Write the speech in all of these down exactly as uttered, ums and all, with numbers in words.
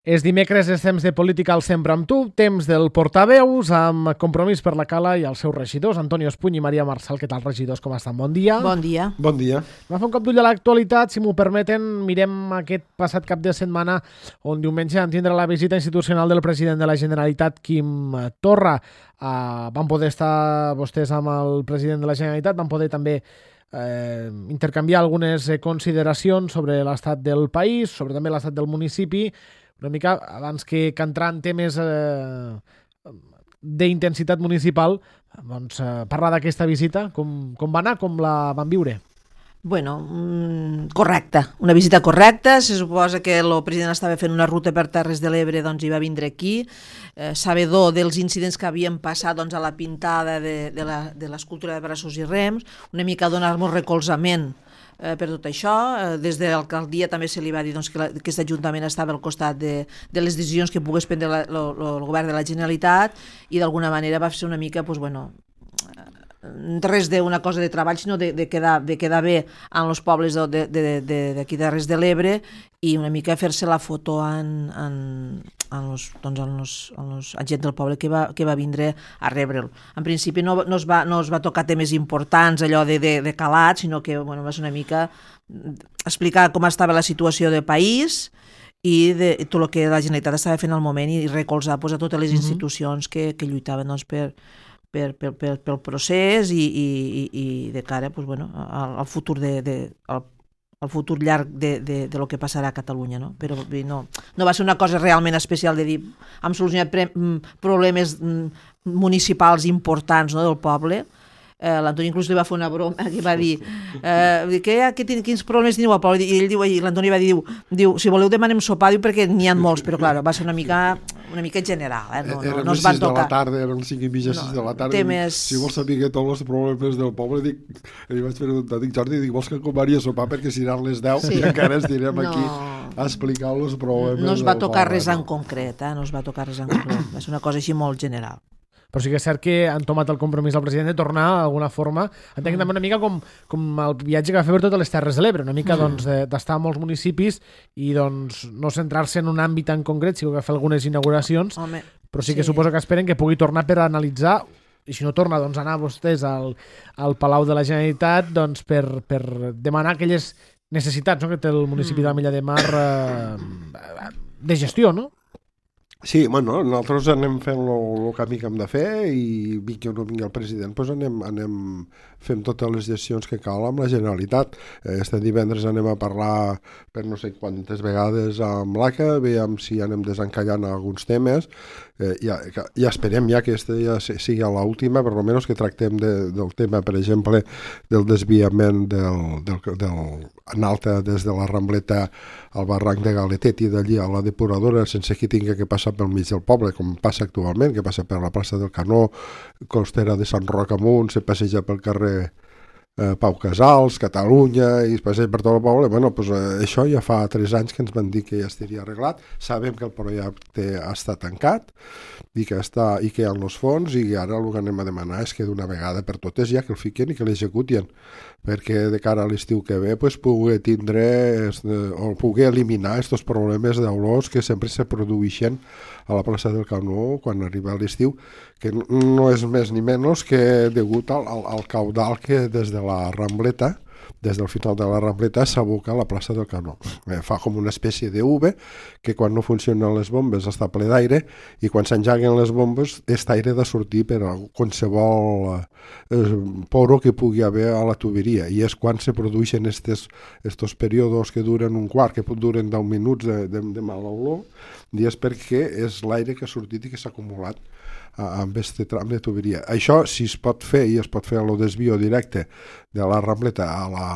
És dimecres, és temps de política al Sempre amb tu, temps del portaveus, amb Compromís per la Cala i els seus regidors, Antonio Espuny i Maria Marçal. Què tal, regidors? Com estan? Bon dia. Bon dia. Bon dia. Va fer un cop d'ull a l'actualitat, si m'ho permeten, mirem aquest passat cap de setmana on diumenge van tindre la visita institucional del president de la Generalitat, Quim Torra. Uh, van poder estar vostès amb el president de la Generalitat, van poder també eh, intercanviar algunes consideracions sobre l'estat del país, sobre també l'estat del municipi, una mica abans que, que entrar en temes eh, d'intensitat municipal, doncs, eh, parlar d'aquesta visita, com, com va anar, com la van viure? Bueno, mm, correcte, una visita correcta. Se suposa que el president estava fent una ruta per Terres de l'Ebre, doncs hi va vindre aquí, eh, sabedor dels incidents que havien passat doncs, a la pintada de, de, la, de l'escultura de braços i rems, una mica donar-nos recolzament eh, per tot això. Eh, des de l'alcaldia també se li va dir doncs, que la, aquest ajuntament estava al costat de, de les decisions que pogués prendre la, lo, lo, el govern de la Generalitat i d'alguna manera va ser una mica, doncs, bueno, res d'una cosa de treball, sinó de, de, quedar, de quedar bé en els pobles d'aquí de, de, de, de Terres de l'Ebre i una mica fer-se la foto en, en, en, los, doncs en, los, en los gent del poble que va, que va vindre a rebre'l. En principi no, no, es va, no es va tocar temes importants, allò de, de, de calat, sinó que bueno, va ser una mica explicar com estava la situació del país i de tot el que la Generalitat estava fent al moment i recolzar pues, a totes les institucions que, que lluitaven doncs, per Per, per, per, pel procés i, i, i de cara pues, bueno, al, al futur de, de, al, al futur llarg de, de, de lo que passarà a Catalunya, no? Però no, no va ser una cosa realment especial de dir hem solucionat pre, problemes municipals importants, no, del poble. Eh, L'Antoni inclús li va fer una broma que va dir eh, que, que, quins problemes teniu al poble, i ell diu, i l'Antoni va dir, diu, diu si voleu demanem sopar, diu, perquè n'hi ha molts, però clar, va ser una mica una mica general, eh? no, no, no es van tocar. Eren les sis de la tarda, eren cinc i mitja, sis de la tarda. Temes... Si vols saber tots els problemes del poble, dic, li vaig preguntar, dic, Jordi, dic, vols que acompani a sopar perquè si eren les deu sí. i encara estirem no. aquí a explicar els problemes. No es va tocar poble, res no. en concret, eh? no es va tocar res en concret, va ser una cosa així molt general. Però sí que és cert que han tomat el compromís al president de tornar d'alguna forma, entenc mm. també una mica com, com el viatge que va fer per totes les Terres de l'Ebre, una mica mm. doncs, d'estar a molts municipis i doncs, no centrar-se en un àmbit en concret, sí que va fer algunes inauguracions, Home, però sí que sí. suposo que esperen que pugui tornar per analitzar, i si no torna, doncs anar vostès al, al Palau de la Generalitat doncs, per, per demanar aquelles necessitats, no?, que té el municipi mm. d'Amilla de Mar eh, de gestió, no? Sí, bueno, nosaltres anem fent el camí que hem de fer i vingui o no vingui el president, doncs anem, anem fent totes les gestions que cal amb la Generalitat. Este divendres anem a parlar per no sé quantes vegades amb l'A C A, veiem si anem desencallant alguns temes, eh, ja, ja esperem ja que aquesta ja sigui l'última, per almenys que tractem de, del tema, per exemple, del desviament del, del, del, en alta des de la Rambleta al barranc de Galetet i d'allí a la depuradora sense que tingui que passar pel mig del poble, com passa actualment, que passa per la plaça del Canó, costera de Sant Roc amunt, se passeja pel carrer eh, Pau Casals, Catalunya, i es passeja per tot el poble. Bueno, pues, eh, això ja fa tres anys que ens van dir que ja estaria arreglat. Sabem que el projecte està tancat i que, està, i que hi ha els fons, i ara el que anem a demanar és que d'una vegada per totes ja que el fiquen i que l'executien, perquè de cara a l'estiu que ve pues, pugui tindre o pugui eliminar aquests problemes d'olors que sempre se produeixen a la plaça del Canó quan arriba l'estiu, que no és més ni menys que degut al, al, al caudal que des de la Rambleta, des del final de la Rambleta s'aboca a la plaça del Canó. Eh, fa com una espècie de U que quan no funcionen les bombes està ple d'aire i quan s'engeguen les bombes aquest aire ha de sortir per a qualsevol eh, poro que pugui haver a la tuberia, i és quan se produeixen estos períodes que duren un quart, que duren deu minuts de, de, de mal olor, i és perquè és l'aire que ha sortit i que s'ha acumulat amb aquest tram de tuberia. Això, si es pot fer, i es pot fer el desvio directe de la Rambleta a la,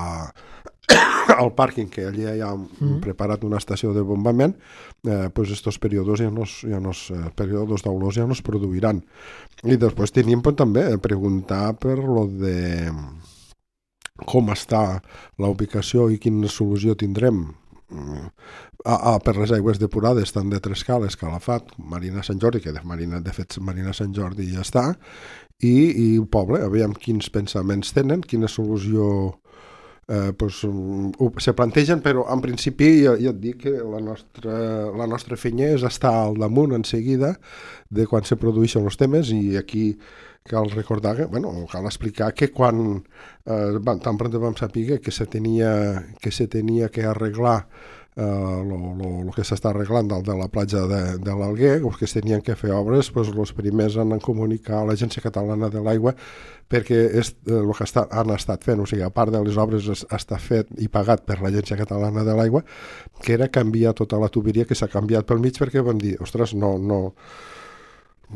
al pàrquing, que allà hi ha mm. preparat una estació de bombament, eh, pues estos períodes ja no, ja no, períodes d'olors ja no es produiran. I després tenim pues, també preguntar per lo de com està la ubicació i quina solució tindrem Ah, ah, per les aigües depurades tant de Trescal, Escalafat, Marina Sant Jordi, que de, Marina, de fet Marina Sant Jordi ja està, i, i el poble, aviam quins pensaments tenen, quina solució eh, pues, ho, se plantegen, però en principi ja, ja et dic que la nostra, la nostra feina és estar al damunt en seguida de quan se produeixen els temes, i aquí cal recordar que, bueno, cal explicar que quan eh, tan pront vam saber que se tenia que, se tenia que arreglar el uh, que s'està arreglant del, de la platja de, de l'Alguer, els que es tenien que fer obres, pues, els primers han de comunicar a l'Agència Catalana de l'Aigua, perquè és el que està, han estat fent, o sigui, a part de les obres es, està fet i pagat per l'Agència Catalana de l'Aigua, que era canviar tota la tuberia, que s'ha canviat pel mig, perquè vam dir, ostres, no, no,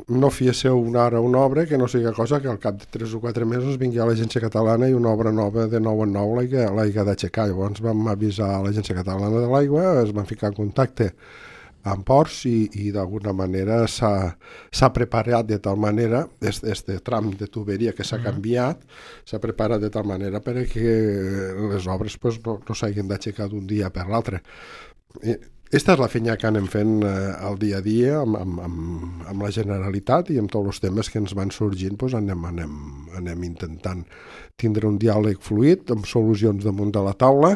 no fiésseu una ara una obra que no sigui cosa que al cap de tres o quatre mesos vingui a l'Agència Catalana i una obra nova de nou en nou l'haiga d'aixecar. Llavors vam avisar a l'Agència Catalana de l'Aigua, es van ficar en contacte amb Ports i, i d'alguna manera s'ha preparat de tal manera, este tram de tuberia que s'ha canviat, s'ha preparat de tal manera perquè les obres pues, no, no s'hagin d'aixecar d'un dia per l'altre. Aquesta és la feina que anem fent eh, el dia a dia amb, amb, amb, amb la Generalitat, i amb tots els temes que ens van sorgint doncs anem, anem, anem intentant tindre un diàleg fluid amb solucions damunt de la taula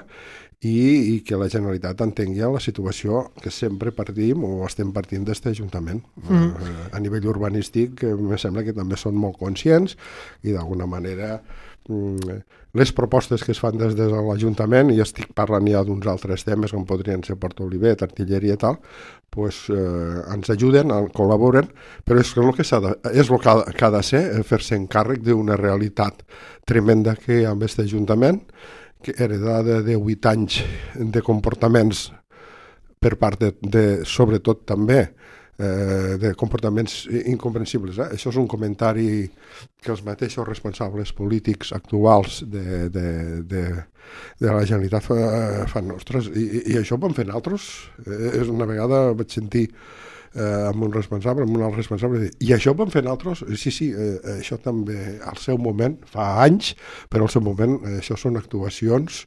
i, i que la Generalitat entengui la situació que sempre partim o estem partint d'aquest Ajuntament. Mm. Eh, a nivell urbanístic eh, em sembla que també són molt conscients i d'alguna manera les propostes que es fan des de l'Ajuntament, i estic parlant ja d'uns altres temes com podrien ser Port Olivet, artilleria i tal, pues, eh, ens ajuden, col·laboren, però és el que, de, és el que, ha, que ha de ser fer-se encàrrec d'una realitat tremenda que hi ha amb aquest Ajuntament, que heredada de vuit anys de comportaments per part de, de sobretot també Eh, de comportaments incomprensibles. Eh? Això és un comentari que els mateixos responsables polítics actuals de, de, de, de la Generalitat fa, fan nostres, i, i això ho vam fer nosaltres. Eh, és una vegada vaig sentir eh, amb un responsable, amb un altre responsable, dir, i això ho vam fer nosaltres? Sí, sí, eh, això també al seu moment, fa anys, però al seu moment eh, això són actuacions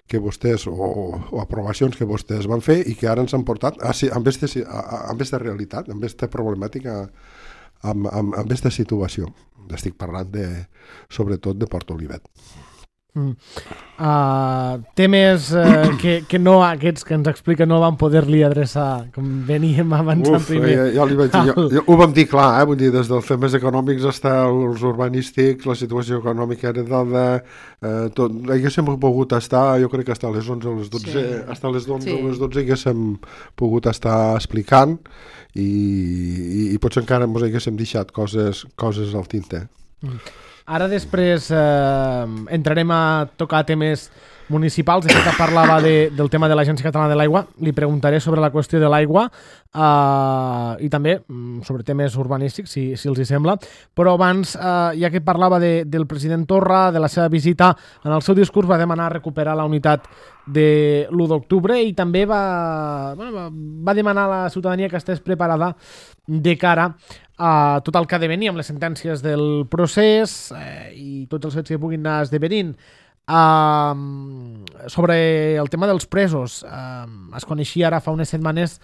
que vostès, o, o aprovacions que vostès van fer i que ara ens han portat a, a, amb aquesta realitat, amb aquesta problemàtica, amb, amb, amb aquesta situació. Estic parlant de, sobretot de Port Olivet. Mm. Uh, temes uh, que, que no aquests que ens explica no van poder-li adreçar, com veníem avançant Uf, primer. Ja, ja li vaig dir, jo, jo, ho vam dir clar, eh? Vull dir, des dels temes econòmics fins als urbanístics, la situació econòmica heredada, eh, tot, haguéssim pogut estar, jo crec que hasta les onze o les dotze, sí. hasta les onze o sí. les dotze haguéssim pogut estar explicant i, i, i potser encara ens haguéssim deixat coses, coses al tinte. Mm. Ara després eh, entrarem a tocar temes municipals. De fet, parlava de, del tema de l'Agència Catalana de l'Aigua. Li preguntaré sobre la qüestió de l'aigua eh, i també sobre temes urbanístics, si, si els hi sembla. Però abans, eh, ja que parlava de, del president Torra, de la seva visita, en el seu discurs va demanar recuperar la unitat de l'u d'octubre i també va, bueno, va, va demanar a la ciutadania que estigués preparada de cara a tot el que ha de venir amb les sentències del procés eh, i tots els fets que puguin anar esdevenint. Uh, sobre el tema dels presos, uh, es coneixia ara fa unes setmanes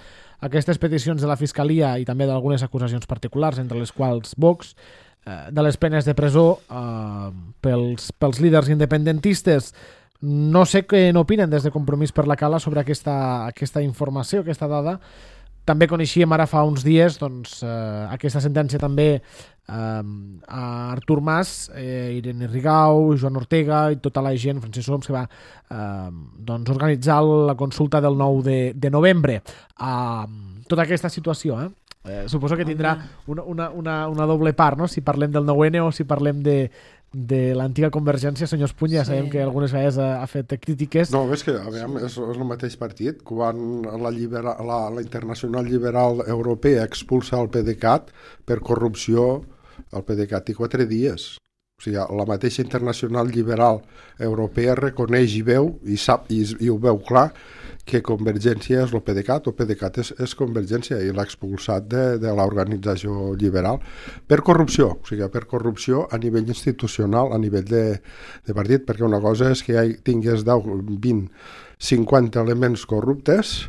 aquestes peticions de la Fiscalia i també d'algunes acusacions particulars, entre les quals Vox, uh, de les penes de presó uh, pels, pels líders independentistes. No sé què n'opinen des de Compromís per la Cala sobre aquesta, aquesta informació, aquesta dada. També coneixíem ara fa uns dies doncs, eh, aquesta sentència també eh, a Artur Mas, eh, Irene Rigau, Joan Ortega i tota la gent, Francesc Homs, que va eh, doncs, organitzar la consulta del nou de, de novembre. Eh, tota aquesta situació, eh? Eh, suposo que tindrà una, una, una, una doble part, no? Si parlem del nou ene o si parlem de, de l'antiga Convergència. Senyor Espuny, ja sabem sí. que algunes vegades ha, ha fet crítiques. No, és que a veure, és, és el mateix partit. Quan la, libera, la, la Internacional Liberal Europea expulsa el PDeCAT per corrupció, el PDeCAT té quatre dies. O sigui, la mateixa Internacional Liberal Europea reconeix i veu, i sap, i, i ho veu clar, que Convergència és el PDeCAT, el PDeCAT és, és Convergència, i l'ha expulsat de, de l'organització liberal per corrupció, o sigui, per corrupció a nivell institucional, a nivell de, de partit, perquè una cosa és que hi tingués deu, vint, cinquanta elements corruptes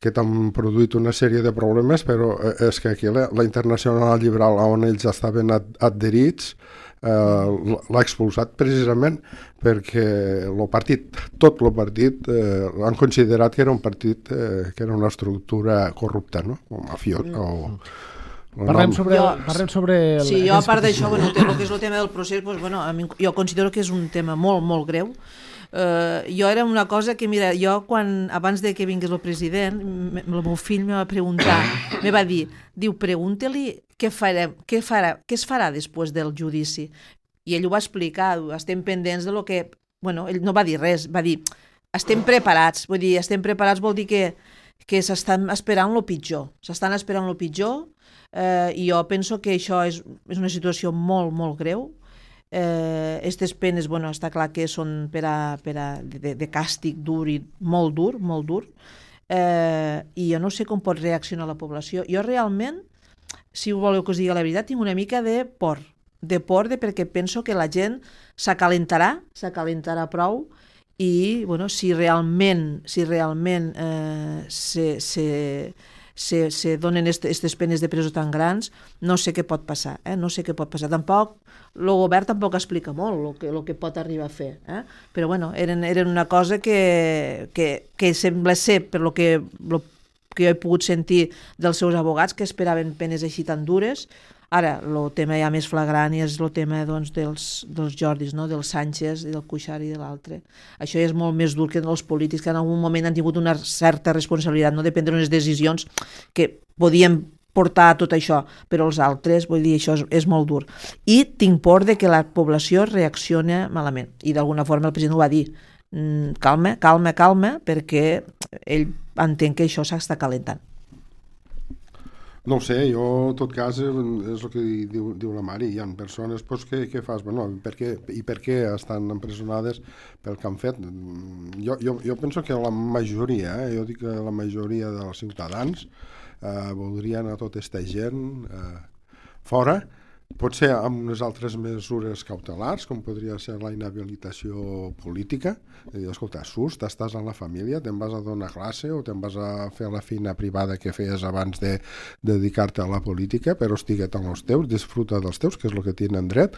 que t'han produït una sèrie de problemes, però és que aquí la, la Internacional Liberal, on ells estaven ad, adherits, eh, l'ha expulsat precisament perquè el partit, tot el partit, eh, han considerat que era un partit, eh, que era una estructura corrupta, no? O mafiós, o... Parlem sobre, jo, parlem sobre el, sí, jo a part d'això, bueno, el que és el tema del procés, doncs, bueno, a mi, jo considero que és un tema molt, molt greu. Uh, jo era una cosa que, mira, jo quan, abans de que vingués el president, el meu fill me va preguntar, me va dir, diu, pregunta-li què, farem, què, farà, què es farà després del judici. I ell ho va explicar, estem pendents de lo que... Bueno, ell no va dir res, va dir, estem preparats, vull dir, estem preparats vol dir que, que s'estan esperant el pitjor, s'estan esperant el pitjor, eh, i jo penso que això és, és una situació molt, molt greu. Aquestes eh, penes, bueno, està clar que són per a, per a, de, de càstig dur i molt dur, molt dur, eh, i jo no sé com pot reaccionar la població. Jo realment, si voleu que us digui la veritat, tinc una mica de por, de por de perquè penso que la gent s'acalentarà, s'acalentarà prou, i bueno, si realment, si realment eh, se... se se, se donen aquestes penes de presó tan grans, no sé què pot passar, eh? no sé què pot passar. Tampoc, el govern tampoc explica molt el que, el que pot arribar a fer, eh? Però bueno, eren, eren una cosa que, que, que sembla ser, per lo que, lo que jo he pogut sentir dels seus abogats, que esperaven penes així tan dures. Ara, el tema ja més flagrant és el tema doncs, dels, dels Jordis, no? Del Sánchez i del Cuixart i de l'altre. Això ja és molt més dur que els polítics, que en algun moment han tingut una certa responsabilitat, no de prendre unes decisions que podien portar a tot això, però els altres, vull dir, això és, és molt dur. I tinc por de que la població reacciona malament. I d'alguna forma el president ho va dir. Mm, calma, calma, calma, perquè ell entén que això s'està calentant. No ho sé, jo en tot cas és el que diu, diu la Mari, hi ha persones pues, que, que fas, bueno, per què, i per què estan empresonades pel que han fet. Jo, jo, jo penso que la majoria, eh, jo dic que la majoria dels ciutadans eh, voldrien a tota aquesta gent eh, fora, potser amb unes altres mesures cautelars, com podria ser la inhabilitació política, de dir, escolta, surts, estàs en la família, te'n vas a donar classe o te'n vas a fer la feina privada que feies abans de, de dedicar-te a la política, però estiguet amb els teus, disfruta dels teus, que és el que tenen dret,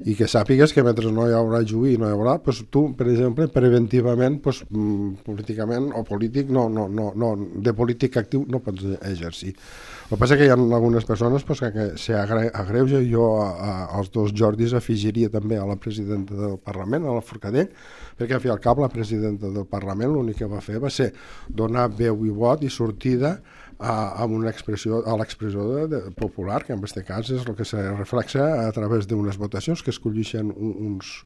i que sàpigues que mentre no hi haurà juí, no hi haurà, pues, tu, per exemple, preventivament, pues, políticament o polític, no, no, no, no, de polític actiu no pots exercir. El que passa és que hi ha algunes persones pues, que, que s'agreuja. Jo a, a, als dos Jordis afegiria també a la presidenta del Parlament, a la Forcadell, perquè al fi al cap la presidenta del Parlament l'únic que va fer va ser donar veu i vot i sortida a, a una expressió, a l'expressió de, de, popular, que en aquest cas és el que se reflexa a través d'unes votacions que escollixen uns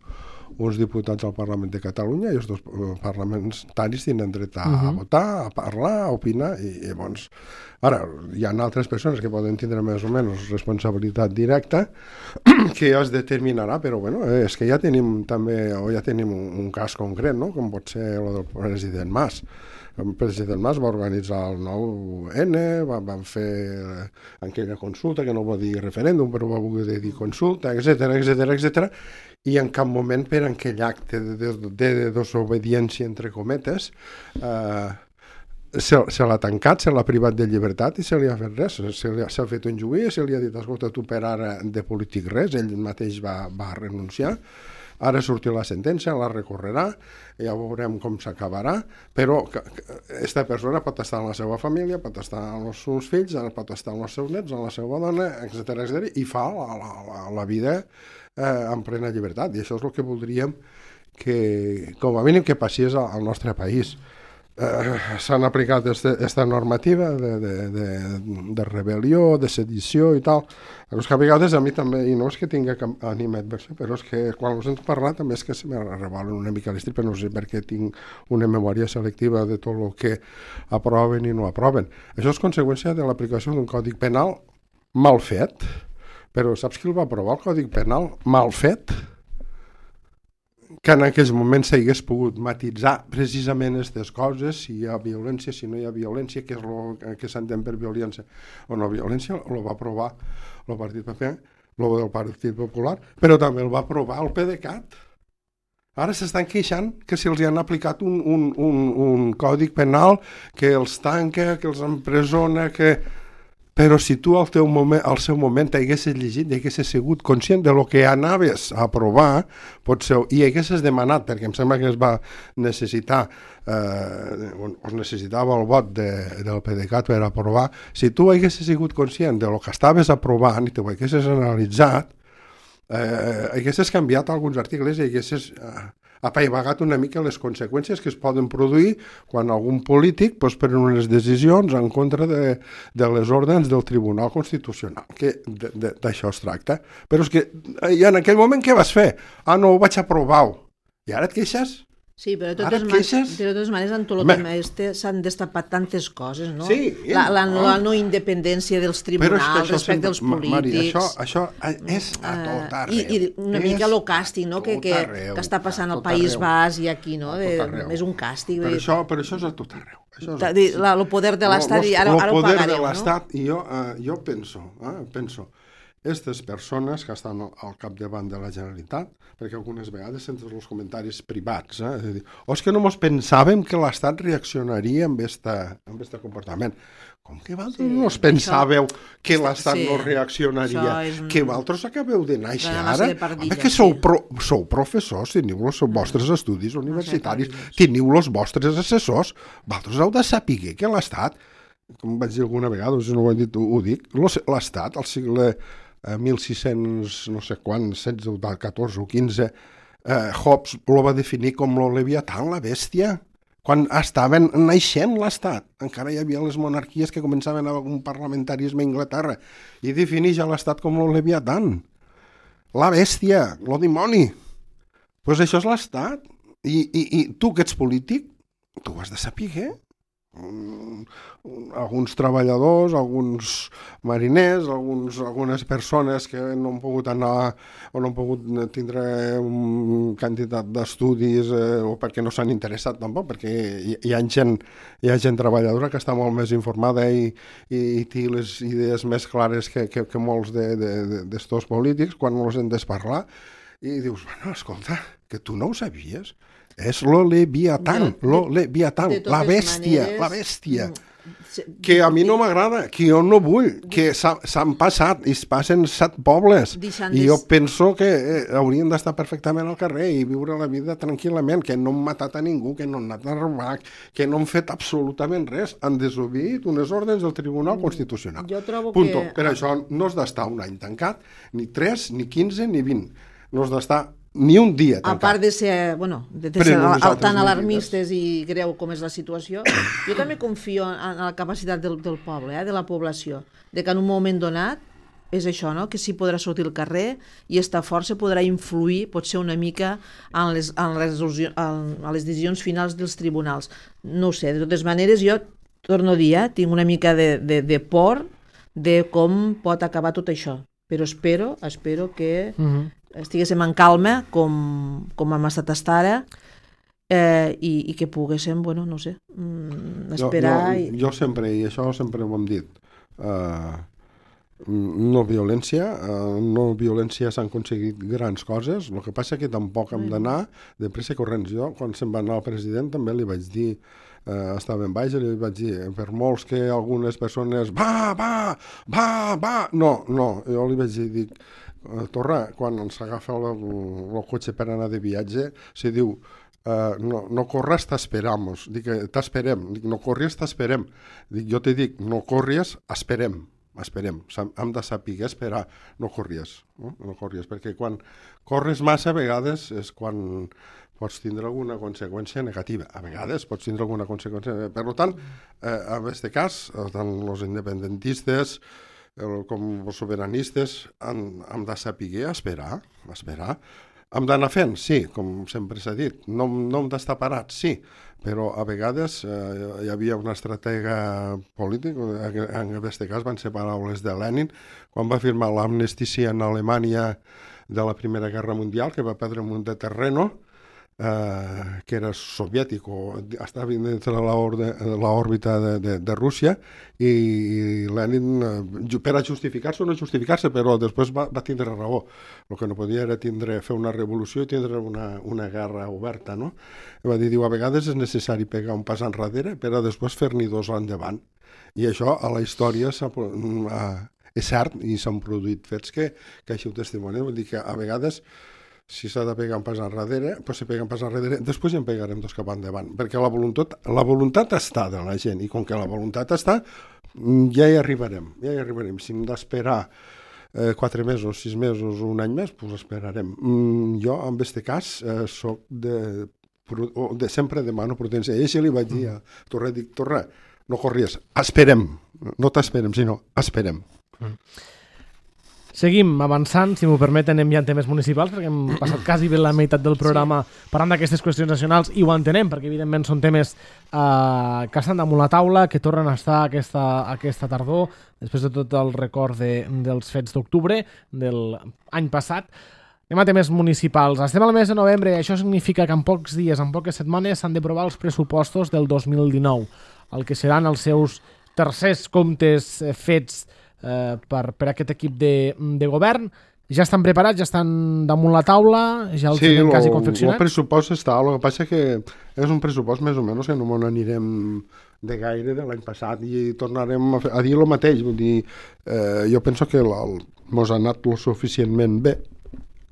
uns diputats al Parlament de Catalunya i els dos parlamentaris tenen dret a, uh-huh. a votar, a parlar, a opinar i, i llavors, ara hi ha altres persones que poden tindre més o menys responsabilitat directa que ja es determinarà, però bueno, és que ja tenim també, o ja tenim un, un cas concret, no? Com pot ser el del president Mas. El president Mas va organitzar el nou ene, va, van fer aquella consulta, que no va dir referèndum, però va voler dir consulta, etcètera, etcètera, etcètera, i en cap moment per aquell acte de, de, de, de desobediència, entre cometes, eh, se, se l'ha tancat, se l'ha privat de llibertat i se li ha fet res. Se li ha, s'ha fet un juí, se li ha dit, escolta, tu per ara de polític res, ell mateix va, va renunciar. Ara sortirà la sentència, la recorrerà, ja veurem com s'acabarà, però aquesta persona pot estar en la seva família, pot estar amb els seus fills, pot estar amb els seus nets, amb la seva dona, etcètera, etcètera, i fa la, la, la, la vida eh, en plena llibertat. I això és el que voldríem que, com a mínim, que passés al nostre país. Eh, s'han aplicat aquesta normativa de, de, de, de rebel·lió, de sedició i tal. Però és que a vegades a mi també, i no és que tingui animat, però és que quan us hem parlat també és que se m'arrebolen una mica l'estrip, però no sé per què tinc una memòria selectiva de tot el que aproven i no aproven. Això és conseqüència de l'aplicació d'un còdic penal mal fet, però saps qui el va aprovar, el còdic penal mal fet? Que en aquells moments s'hagués pogut matitzar precisament aquestes coses, si hi ha violència, si no hi ha violència, què és el que s'entén per violència o no violència, el va aprovar el Partit P P, el del Partit Popular, però també el va aprovar el PDeCAT. Ara s'estan queixant que si els han aplicat un, un, un, un còdic penal que els tanca, que els empresona, que... però si tu al, teu moment, al seu moment haguessis llegit i haguessis sigut conscient de lo que anaves a aprovar, potser, i haguessis demanat, perquè em sembla que es va necessitar, eh, es necessitava el vot de, del PDeCAT per aprovar, si tu haguessis sigut conscient de lo que estaves aprovant i t'ho haguessis analitzat, eh, haguessis canviat alguns articles i haguessis eh, apaivagat una mica les conseqüències que es poden produir quan algun polític pues, pren unes decisions en contra de, de les ordres del Tribunal Constitucional, que d'això es tracta. Però és que i en aquell moment què vas fer? Ah, no, ho vaig aprovar. I ara et queixes? Sí, però de totes, man de totes maneres, en tot el tema este s'han destapat tantes coses, no? Sí. La, la, no. la no independència dels tribunals respecte sempre, als polítics. Mari, això, això és a tot arreu. I, i una és mica el càstig, no? Que, que, arreu, que està passant al País Basc i aquí, no? De, és un càstig. Per això, per això és a tot arreu. Això és a tot arreu. El poder de l'Estat, i ara, ara ho pagareu, no? El poder de l'Estat, i jo, uh, jo penso, eh, penso, aquestes persones que estan al capdavant de la Generalitat, perquè algunes vegades senten els comentaris privats, eh? És a dir, o és que no mos pensàvem que l'Estat reaccionaria amb aquest comportament. Com que vosaltres sí, no us pensàveu això, que l'Estat sí, no reaccionaria, un... que vosaltres acabeu de néixer ara? Home, que sou, pro, sou professors, teniu els vostres estudis universitaris, teniu els vostres assessors, vosaltres heu de saber que l'Estat, com vaig dir alguna vegada, si no ho he dit, ho dic, l'Estat, al segle mil sis-cents, no sé quan, setze, catorze o quinze, eh, Hobbes lo va definir com lo Leviatán, la bèstia. Quan estaven naixent l'Estat, encara hi havia les monarquies que començaven amb un parlamentarisme a Anglaterra, i defineix l'Estat com lo Leviatán, la bèstia, lo dimoni. Doncs pues això és l'Estat. I, i, I tu que ets polític, tu ho has de saber, eh? Um, alguns treballadors, alguns mariners, alguns, algunes persones que no han pogut anar o no han pogut tindre un quantitat d'estudis eh, o perquè no s'han interessat tampoc, perquè hi, hi, ha gent, hi ha gent treballadora que està molt més informada i, i, i té les idees més clares que, que, que molts d'estos polítics quan els hem de parlar, i dius, bueno, escolta, que tu no ho sabies. És lo Leviatán, lo Leviatán, la bèstia, maneres, la bèstia, que a mi no m'agrada, que jo no vull, que s'han passat i es passen set pobles, i jo penso que eh, haurien d'estar perfectament al carrer i viure la vida tranquil·lament, que no han matat a ningú, que no han anat a robar, que no han fet absolutament res, han desobedit unes ordres del Tribunal Constitucional. Jo trobo Punto. que... Per això no has d'estar un any tancat, ni tres, ni quinze, ni vint. No has d'estar ni un dia tancat. A part de ser, bueno, de, de ser al, tan alarmistes i greu com és la situació, jo també confio en la capacitat del, del poble, eh, de la població, de que en un moment donat és això, no? Que sí podrà sortir al carrer i esta força podrà influir, potser una mica, en les, en les, en, en les decisions finals dels tribunals. No ho sé, de totes maneres, jo torno a dir, eh, tinc una mica de, de, de por de com pot acabar tot això, però espero, espero que... Uh-huh. estiguéssim en calma com, com hem estat fins ara eh, i, i que poguéssim, bueno, no sé, esperar... Jo, jo, jo sempre, i això sempre ho hem dit, uh, no violència, uh, no violència s'han aconseguit grans coses, el que passa que tampoc hem d'anar de pressa corrents. Jo, quan se'n va anar el president, també li vaig dir, uh, estava en baix i li vaig dir, per molts que algunes persones, va, va, va, va, no, no, jo li vaig dir, dic, Torra, quan ens agafa el, el cotxe per anar de viatge, se diu, uh, no, no corres, t'esperamos. Dic, t'esperem. Dic, no corries, t'esperem. Dic, jo te dic, no corries, esperem. Esperem. Hem de saber esperar, no corries. No? no corries, perquè quan corres massa, a vegades és quan pots tindre alguna conseqüència negativa. A vegades pots tindre alguna conseqüència. Per tant, eh, en aquest cas, tant els independentistes com els sobiranistes han, han de saber esperar, esperar. Hem d'anar fent, sí, com sempre s'ha dit. No, no hem d'estar parats, sí, però a vegades eh, hi havia una estratega política, en aquest cas van ser paraules de Lenin, quan va firmar l'amnistia en Alemanya de la Primera Guerra Mundial, que va perdre un munt de terreno, Uh, que era soviètic o estava dins de l'òrbita de, de, de Rússia, i, i Lenin, uh, per a justificar-se o no justificar-se, però després va, va tindre raó. El que no podia era tindre, fer una revolució i tindre una, una guerra oberta, no? Va dir, diu, a vegades és necessari pegar un pas enrere per a després fer-n'hi dos endavant. I això a la història s'ha, és cert i s'han produït fets que, que així ho testimonien. Vull dir que a vegades, si s'ha de pegar un pas enrere, doncs se pega un pas enrere, després ja en pegarem dos cap endavant, perquè la voluntat, la voluntat està de la gent, i com que la voluntat està, ja hi arribarem, ja hi arribarem. Si hem d'esperar eh, quatre mesos, sis mesos, un any més, doncs esperarem. Mm, jo, en aquest cas, eh, soc de, de... Sempre demano prudència. I així li vaig dir a Torra, dic, Torra, no corries, esperem, no t'esperem, sinó esperem. Mm. Seguim avançant, si m'ho permeten, anem ja en temes municipals, perquè hem passat quasi bé la meitat del programa sí. parlant d'aquestes qüestions nacionals, i ho entenem, perquè evidentment són temes eh, que estan damunt la taula, que tornen a estar aquesta, aquesta tardor, després de tot el record de, dels fets d'octubre de l'any passat. Anem a temes municipals. Estem al mes de novembre, això significa que en pocs dies, en poques setmanes, s'han d'aprovar els pressupostos del dos mil dinou, el que seran els seus tercers comptes eh, fets Eh, per, per aquest equip de, de govern. Ja estan preparats, ja estan damunt la taula, ja els sí, tenen quasi confeccionats? Sí, el pressupost està, el que passa que és un pressupost més o menys que no m'ho anirem de gaire de l'any passat i tornarem a, fer, a dir el mateix. Vull dir, eh, jo penso que mos ha anat lo suficientment bé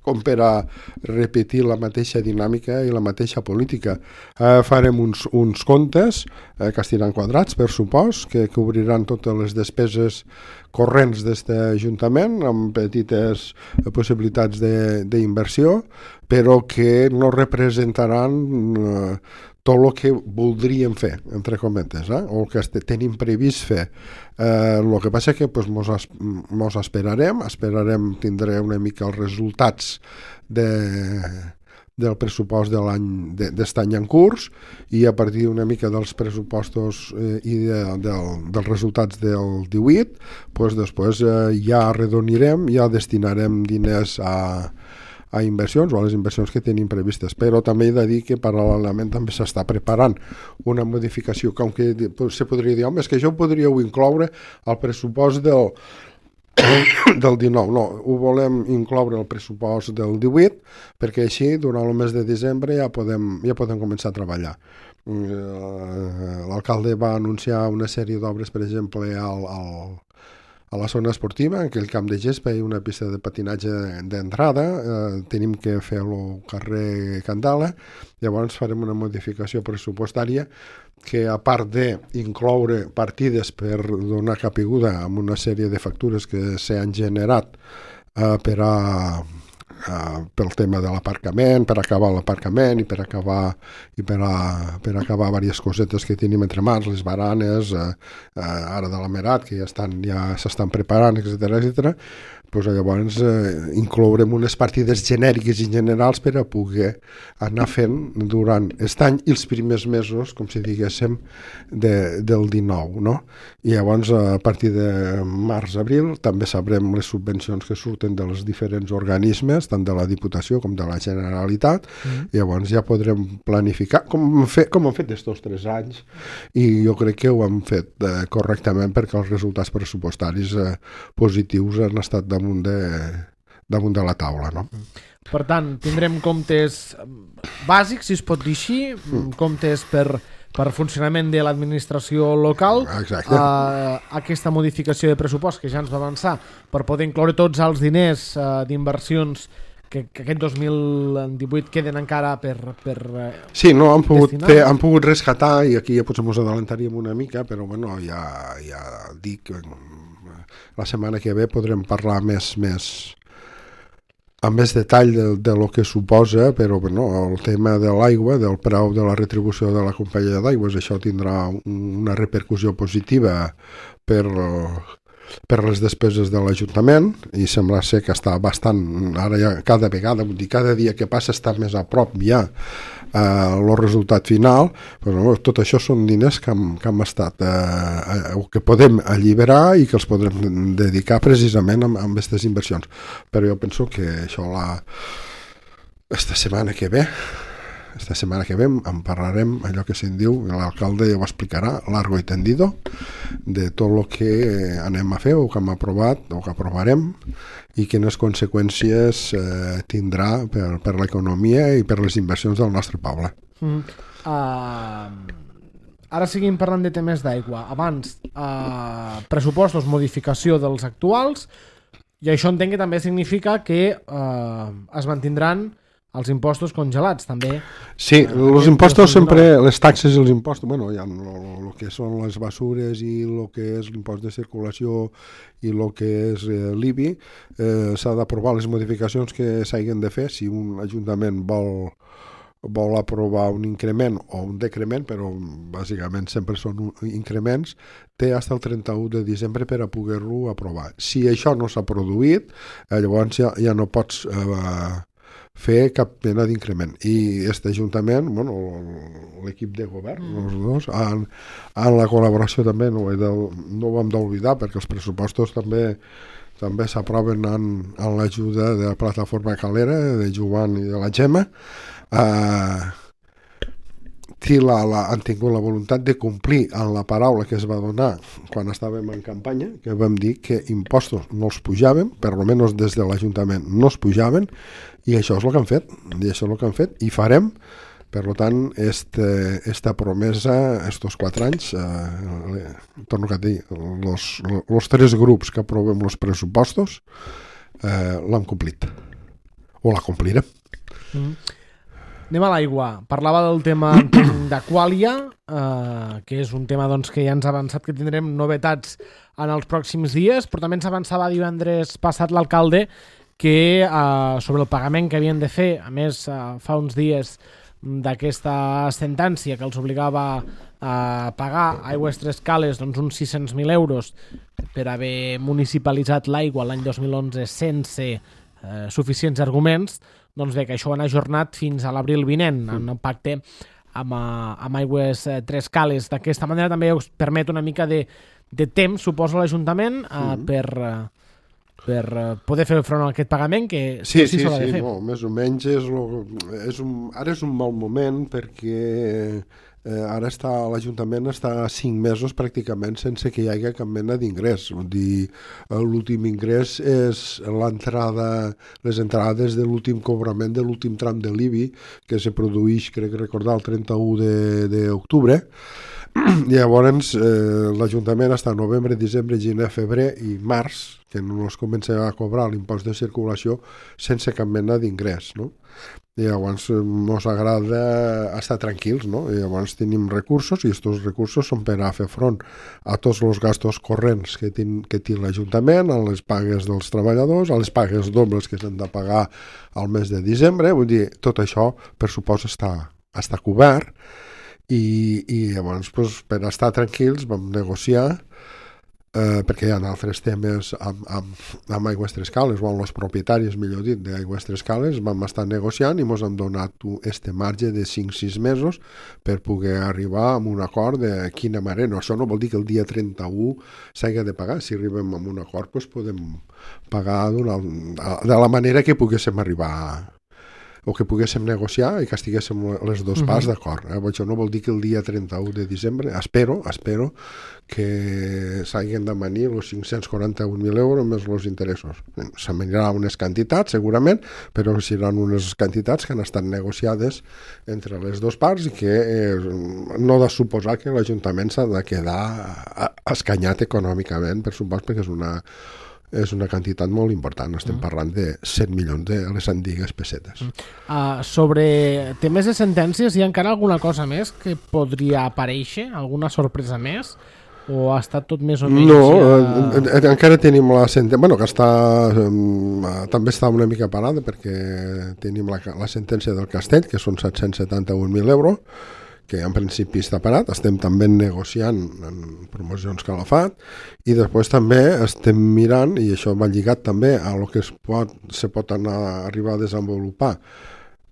com per a repetir la mateixa dinàmica i la mateixa política. Eh, farem uns, uns comptes eh, que estiran quadrats, per supost, que cobriran totes les despeses corrents d'aquest Ajuntament, amb petites possibilitats d'inversió, però que no representaran eh, tot el que voldríem fer, entre cometes, eh? o el que tenim previst fer. El eh, que passa que pues, mos, es, mos esperarem, esperarem tindré una mica els resultats de, del pressupost de l'any d'aquest any en curs, i a partir una mica dels pressupostos eh, i de, del, dels resultats del divuit, pues, després eh, ja arredonirem, ja destinarem diners a a inversions o a les inversions que tenim previstes, però també he de dir que paral·lelament també s'està preparant una modificació, com que se podria dir, home, és que això ho podríeu incloure al pressupost del, del dinou, no, ho volem incloure al pressupost del divuit, perquè així durant el mes de desembre ja podem, ja podem començar a treballar. L'alcalde va anunciar una sèrie d'obres, per exemple, al, al a la zona esportiva, en aquell camp de gespa i una pista de patinatge d'entrada, eh, tenim que fer el carrer Candala, llavors farem una modificació pressupostària que, a part d'incloure partides per donar capiguda a una sèrie de factures que s'han generat eh, per a Uh, pel tema de l'aparcament, per acabar l'aparcament i per acabar i per, a, per acabar diverses cosetes que tenim entre mans, les baranes, uh, uh, ara de la Merat, que ja estan ja s'estan preparant, etcètera, etcètera. Pues llavors eh, inclourem unes partides genèriques i generals per a poder anar fent durant aquest any i els primers mesos, com si diguéssim, de, del dinou, no? I llavors a partir de març-abril també sabrem les subvencions que surten dels diferents organismes, tant de la Diputació com de la Generalitat, mm. i llavors ja podrem planificar com hem fet, com hem fet estos tres anys, i jo crec que ho hem fet eh, correctament, perquè els resultats pressupostaris eh, positius han estat de damunt de, damunt de la taula, no? Per tant, tindrem comptes bàsics, si es pot dir així, mm. comptes per, per funcionament de l'administració local. Exacte. Uh, aquesta modificació de pressupost que ja ens va avançar per poder incloure tots els diners uh, d'inversions que, que aquest dos mil divuit queden encara per, per uh, sí, no, han pogut, fer, han pogut rescatar, i aquí ja potser ens adelantaríem una mica, però bueno, ja, ja dic que la setmana que ve podrem parlar més, més amb més detall de, de lo que suposa, però bueno, el tema de l'aigua, del preu de la retribució de la companyia d'aigües, això tindrà una repercussió positiva per, per les despeses de l'Ajuntament, i sembla ser que està bastant, ara ja cada vegada, vull dir, cada dia que passa està més a prop ja el uh, resultat final, però tot això són diners que hem, que hem estat uh, uh, que podem alliberar i que els podrem dedicar precisament a aquestes inversions. Però jo penso que això la esta setmana que ve esta setmana que ve en parlarem, allò que se'n diu, l'alcalde ja ho explicarà largo i tendido, de tot el que anem a fer o que hem aprovat o que aprovarem i quines conseqüències eh, tindrà per, per l'economia i per les inversions del nostre poble. Mm. Uh, ara seguim parlant de temes d'aigua. Abans, eh, pressupostos, modificació dels actuals, i això entenc que també significa que eh, es mantindran els impostos congelats, també. Sí, els impostos sempre, les taxes i els impostos, bueno, hi ha el que són les basures i el que és l'impost de circulació i el que és eh, l'I B I, eh, s'ha d'aprovar les modificacions que s'hagin de fer. Si un ajuntament vol vol aprovar un increment o un decrement, però bàsicament sempre són increments, té fins el trenta-u de desembre per a poder-lo aprovar. Si això no s'ha produït, eh, llavors ja, ja no pots eh, fer cap mena d'increment. I aquest ajuntament, bueno, l'equip de govern, mm. els dos, en, en la col·laboració també, no, de, no ho hem d'oblidar, perquè els pressupostos també també s'aproven en, en l'ajuda de la plataforma Calera, de Joan i de la Gemma. Uh, la, la, han tingut la voluntat de complir en la paraula que es va donar quan estàvem en campanya, que vam dir que impostos no els pujàvem, per almenys des de l'Ajuntament no els pujaven, i això és el que han fet, i això és el que han fet, i farem. Per tant, este, esta promesa, estos quatre anys, eh, torno a dir, els tres grups que aprovem els pressupostos eh, l'han complit, o la complirem. Mm. Anem a l'aigua. Parlava del tema d'Aquàlia, eh, que és un tema doncs, que ja ens ha avançat que tindrem novetats en els pròxims dies, però també ens avançava divendres passat l'alcalde que eh, sobre el pagament que havien de fer, a més eh, fa uns dies d'aquesta sentència que els obligava a pagar Aigües Tres Cales doncs, uns sis-cents mil euros per haver municipalitzat l'aigua l'any dos mil onze sense eh, suficients arguments, doncs bé, que això ho han ajornat fins a l'abril vinent, en un pacte amb, amb Aigües Tres Cales. D'aquesta manera també us permet una mica de, de temps, suposo, l'Ajuntament eh, mm. per... Eh, per poder fer front a aquest pagament que sí, sí, sí, s'ha de sí fer. No, més o menys és, lo, és un, ara és un mal moment perquè eh, ara està l'Ajuntament està cinc mesos pràcticament sense que hi hagi cap mena d'ingrés. Vull dir, l'últim ingrés és l'entrada, les entrades de l'últim cobrament de l'últim tram de l'I B I que se produeix, crec recordar, el trenta-u d'octubre. Llavors eh, l'Ajuntament està novembre, desembre, gener, febrer i març, que no es comença a cobrar l'impost de circulació sense cap mena d'ingrés, no? I llavors ens agrada estar tranquils, no? I llavors tenim recursos i aquests recursos són per a fer front a tots els gastos corrents que, ten, que té l'Ajuntament, a les pagues dels treballadors, a les pagues dobles que s'han de pagar al mes de desembre. Vull dir, tot això per supost està, està cobert. I, i llavors pues, per estar tranquils vam negociar eh, perquè hi ha altres temes amb, amb, amb Aigües Tres Cales o amb els propietaris, millor dit, d'Aigües Tres Cales. Vam estar negociant i ens han donat este marge de cinc sis mesos per poder arribar a un acord de quina manera. No, això no vol dir que el dia trenta-u s'hagi de pagar. Si arribem a un acord pues, podem pagar de la manera que poguéssim arribar a o que poguéssim negociar i que estiguéssim les dues parts uh-huh. d'acord. Eh? Això no vol dir que el dia trenta-u de desembre, espero, espero que s'hagin de manir els cinc-cents quaranta-un mil euros més els interessos. S'amanirà unes quantitats, segurament, però seran unes quantitats que han estat negociades entre les dues parts i que eh, no ha de suposar que l'Ajuntament s'ha de quedar escanyat econòmicament, per supost, perquè és una és una quantitat molt important. Estem mm. parlant de set milions de les antigues pessetes. Mm. Uh, sobre temes de sentències, hi ha encara alguna cosa més que podria aparèixer? Alguna sorpresa més? O ha estat tot més o menys? No, ja... encara tenim la sentència, bueno, que està, um, també està una mica parada perquè tenim la, la sentència del Castell, que són set-cents setanta-un mil euros, que en principi està parat. Estem també negociant en promocions Calafat i després també estem mirant, i això va lligat també a lo que es pot, se pot anar a arribar a desenvolupar,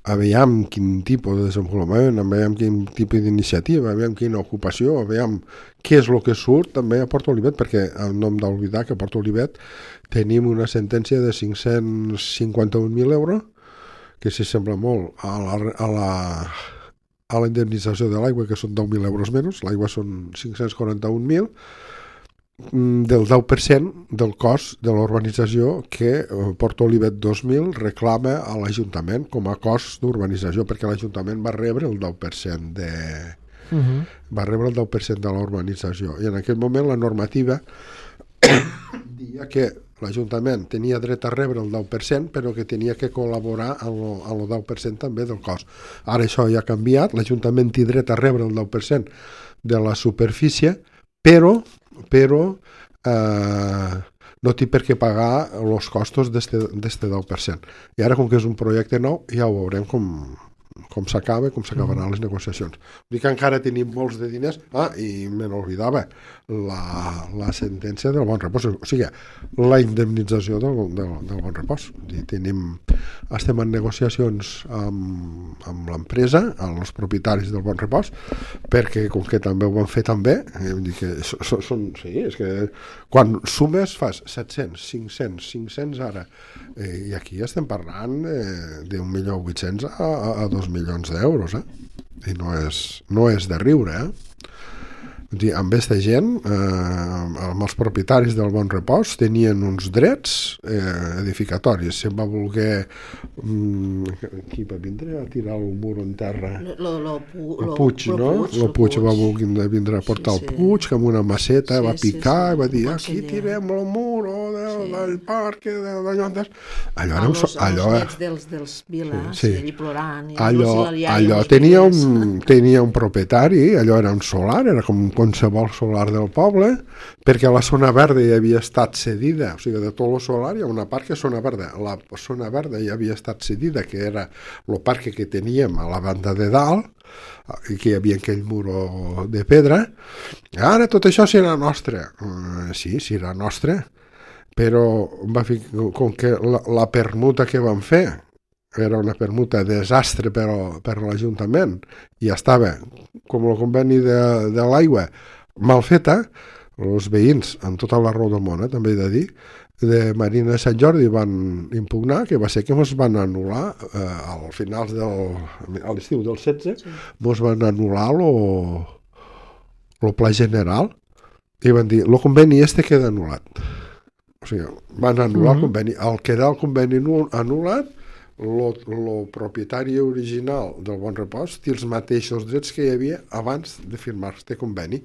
aviam quin tipus de desenvolupament, aviam quin tipus d'iniciativa, aviam quina ocupació, aviam què és el que surt també a Port Olivet, perquè no hem d'oblidar que a Port Olivet tenim una sentència de cinc-cents cinquanta-un mil euros, que s'hi sembla molt a la... A la a la indemnització de l'aigua, que són deu mil euros menys, l'aigua són cinc-cents quaranta-un mil, del deu per cent del cost de l'urbanització que Port Olivet dos mil reclama a l'Ajuntament com a cost d'urbanització, perquè l'Ajuntament va rebre el deu per cent de, Uh-huh. Va rebre el deu per cent de la urbanització. I en aquell moment la normativa dia que l'Ajuntament tenia dret a rebre el deu per cent, però que tenia que col·laborar amb el deu per cent també del cost. Ara això ja ha canviat, l'Ajuntament té dret a rebre el deu per cent de la superfície, però, però eh, no té per què pagar els costos d'este deu per cent. I ara, com que és un projecte nou, ja ho veurem com, com s'acaba, com s'acabaran les negociacions. Vull dir que encara tenim molts de diners. Ah, i me n'oblidava, la, la sentència del Bon Repòs, o sigui, la indemnització del, del, del Bon Repòs. Dir, tenim, estem en negociacions amb, amb l'empresa, amb els propietaris del Bon Repòs, perquè com que també ho van fer també, eh, vull dir que són, són, sí, és que quan sumes fas set-cents, cinc-cents, cinc-cents ara, eh, i aquí estem parlant eh, d'un milió vuit-cents a, a, a dos milions d'euros, eh? I no és, no és de riure, eh? Dir, amb aquesta gent, eh, amb els propietaris del Bon Repòs tenien uns drets eh, edificatoris. Se'n va voler mm, qui va vindre a tirar el mur en terra? Lo, lo, lo, el Puig, lo, no? Puig, el Puig va voler vindre a portar sí, el Puig, que amb una maceta sí, va picar sí, sí. i va dir, aquí tirem el mur oh, del, sí. del parc, d'allò. Allò era un... Los, allò, els dels, dels Vila, sí, sí. i plorant. I allò allò tenia un, tenia un propietari, allò era un solar, era com qualsevol solar del poble, perquè la zona verda ja havia estat cedida, o sigui, de tot el solar hi ha una part que és zona verda. La zona verda ja havia estat cedida, que era el parc que teníem a la banda de dalt, i que hi havia aquell muro de pedra. Ara tot això serà nostre. Uh, sí, serà nostre, però va fer, com que la, la permuta que van fer era una permuta desastre per, per l'Ajuntament i estava, com el conveni de, de l'aigua, mal feta, els veïns, amb tota la raó del món, eh, també he de dir, de Marina de Sant Jordi van impugnar, que va ser que ens van anul·lar eh, al finals del... a l'estiu del setze, sí. Ens van anul·lar el pla general i van dir, el conveni este queda anul·lat. O sigui, van anul·lar mm-hmm. el conveni. Al quedar el conveni anul·lat, el propietari original del Bon Repòs té els mateixos drets que hi havia abans de firmar este conveni.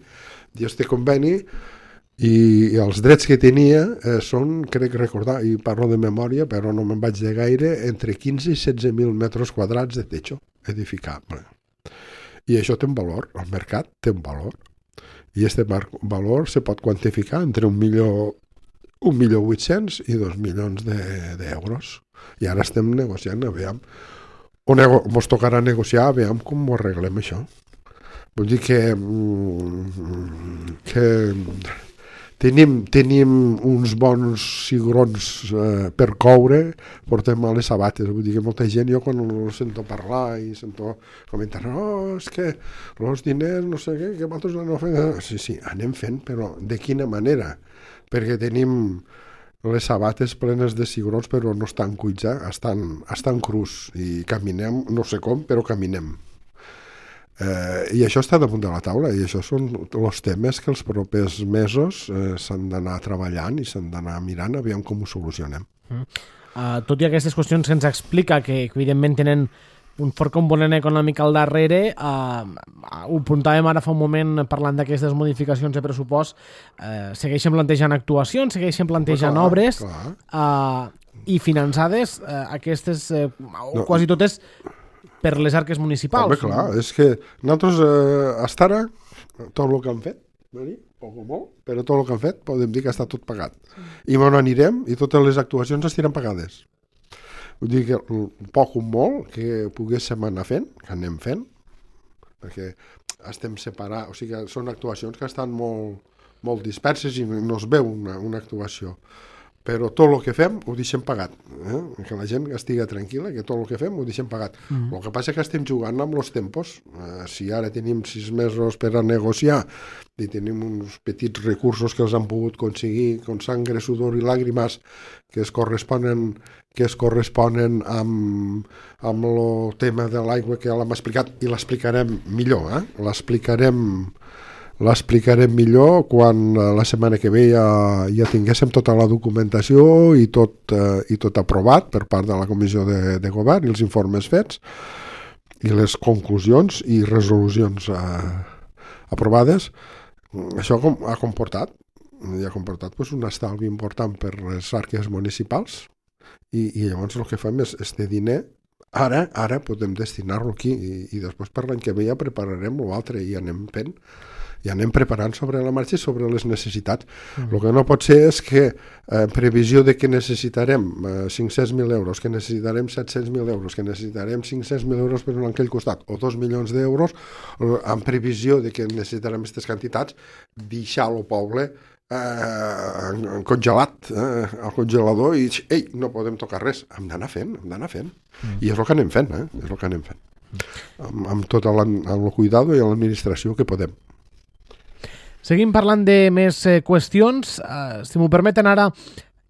I este conveni i, i els drets que tenia eh, són, crec recordar, i parlo de memòria, però no me'n vaig de gaire, entre quinze i setze mil metres quadrats de techo edificable. I això té un valor, el mercat té un valor. I este valor se pot quantificar entre un milió, un milió vuit-cents i dos milions d'euros. I ara estem negociant, aviam, o nego ens tocarà negociar, aviam com ho arreglem això. Vull dir que, que tenim, tenim uns bons cigrons eh, per coure, portem a les sabates. Vull dir que molta gent, jo quan ho sento parlar i sento comentar, no, és que els diners, no sé què, que nosaltres no fem... Sí, sí, anem fent, però de quina manera? Perquè tenim les sabates plenes de cigrons, però no estan cuits, eh? estan, estan crus i caminem, no sé com, però caminem. Eh, I això està damunt de la taula i això són els temes que els propers mesos eh, s'han d'anar treballant i s'han d'anar mirant aviam com ho solucionem. Mm. Uh, tot i aquestes qüestions que ens explica que evidentment tenen un fort component econòmic al darrere, uh, ho apuntàvem ara fa un moment parlant d'aquestes modificacions de pressupost, uh, segueixen plantejant actuacions, segueixen plantejant clar, obres clar. Uh, i finançades uh, aquestes uh, no. quasi totes per les arques municipals. Home, clar, és que nosaltres eh, hasta ara, tot el que han fet, poc o molt, però tot el que han fet podem dir que està tot pagat. Sí. I on anirem i totes les actuacions estiran pagades. Vull dir que poc o molt que poguéssim anar fent, que anem fent, perquè estem separats, o sigui, són actuacions que estan molt, molt disperses i no es veu una, una actuació. Però tot el que fem ho deixem pagat, eh? Que la gent estigui tranquil·la, que tot el que fem ho deixem pagat. Mm. El que passa és que estem jugant amb els tempos. Eh, si ara tenim sis mesos per a negociar i tenim uns petits recursos que els han pogut aconseguir con sangre, sudor i làgrimes que es corresponen, que es corresponen amb, amb el tema de l'aigua que l'hem explicat i l'explicarem millor, eh? L'explicarem L'explicarem millor quan la setmana que ve ja, ja tinguéssim tota la documentació i tot, eh, i tot aprovat per part de la Comissió de, de Govern i els informes fets i les conclusions i resolucions eh, aprovades, això com, ha comportat, i ha comportat pues, un estalvi important per les arques municipals i, i llavors el que fem és este diner ara ara podem destinar-lo aquí i, i després per l'any que ve ja prepararem l'altre i anem fent i anem preparant sobre la marxa i sobre les necessitats. Mm. El que no pot ser és que eh, previsió de que necessitarem eh, cinc-cents mil euros, que necessitarem set-cents mil euros, que necessitarem cinc-cents mil euros per un aquell costat, o dos milions d'euros, eh, en previsió de que necessitarem aquestes quantitats, deixar el poble eh, congelat eh, al congelador i ei, no podem tocar res. Hem d'anar fent, hem d'anar fent. Mm. I és el que anem fent, eh? És el que anem fent. Amb, amb tot el cuidado i l'administració que podem. Seguim parlant de més eh, qüestions. Uh, si m'ho permeten ara,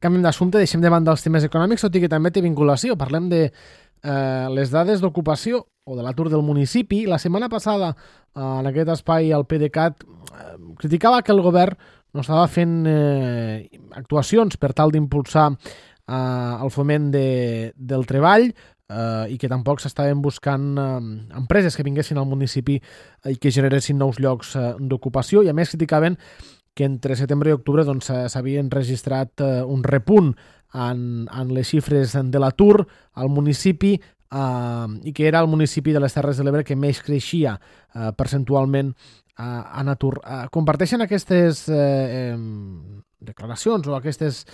canviem d'assumpte, deixem de banda els temes econòmics, tot i que també té vinculació. Parlem de uh, les dades d'ocupació o de l'atur del municipi. La setmana passada, uh, en aquest espai, el PDeCAT uh, criticava que el govern no estava fent uh, actuacions per tal d'impulsar uh, el foment de, del treball, Uh, i que tampoc s'estaven buscant uh, empreses que vinguessin al municipi uh, i que generessin nous llocs uh, d'ocupació, i a més criticaven que entre setembre i octubre doncs, s'havien registrat uh, un repunt en, en les xifres de l'atur al municipi uh, i que era el municipi de les Terres de l'Ebre que més creixia uh, percentualment uh, en atur. Uh, comparteixen aquestes uh, eh, declaracions o aquestes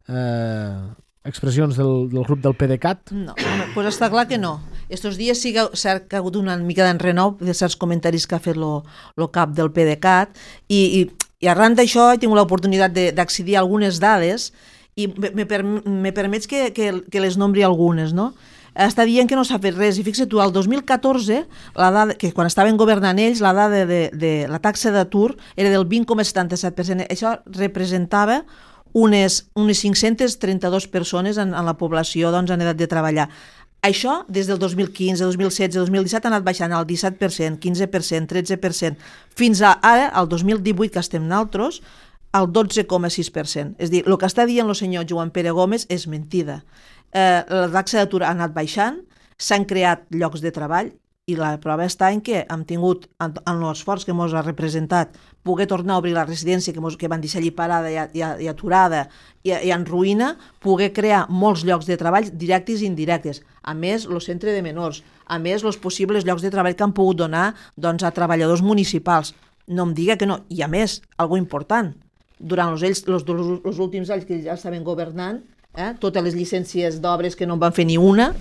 eh, expressions del, del grup del PDeCAT? No, home, pues està clar que no. Estos dies sí que, cert, que ha hagut una mica d'enrenou de certs comentaris que ha fet el cap del PDeCAT i, i, i arran d'això he tingut l'oportunitat d'accedir a algunes dades i me, me, per, me permets que, que, que les nombri algunes, no? Està dient que no s'ha fet res i fixa't tu, el dos mil catorze, la dada, que quan estaven governant ells, la dada de, de, de la taxa d'atur era del vint coma setanta-set per cent. Això representava unes, unes cinc-centes trenta-dues persones en, en la població doncs, en edat de treballar. Això, des del dos mil quinze, dos mil setze, dos mil disset, ha anat baixant al disset per cent, quinze per cent, tretze per cent, fins a ara, al dos mil divuit, que estem naltros, al dotze coma sis per cent. És a dir, el que està dient el senyor Joan Pere Gómez és mentida. Eh, la taxa d'atur ha anat baixant, s'han creat llocs de treball, i la prova està en què hem tingut, en, en l'esforç que ens ha representat, poder tornar a obrir la residència que, mos, que van deixar allí parada i, i, i aturada i, i en ruïna, poder crear molts llocs de treball directes i indirectes. A més, el centre de menors, a més, els possibles llocs de treball que han pogut donar doncs, a treballadors municipals. No em diga que no. I a més, algo important, durant els, ells, els, els últims anys que ja estaven governant, eh, totes les llicències d'obres que no en van fer ni una,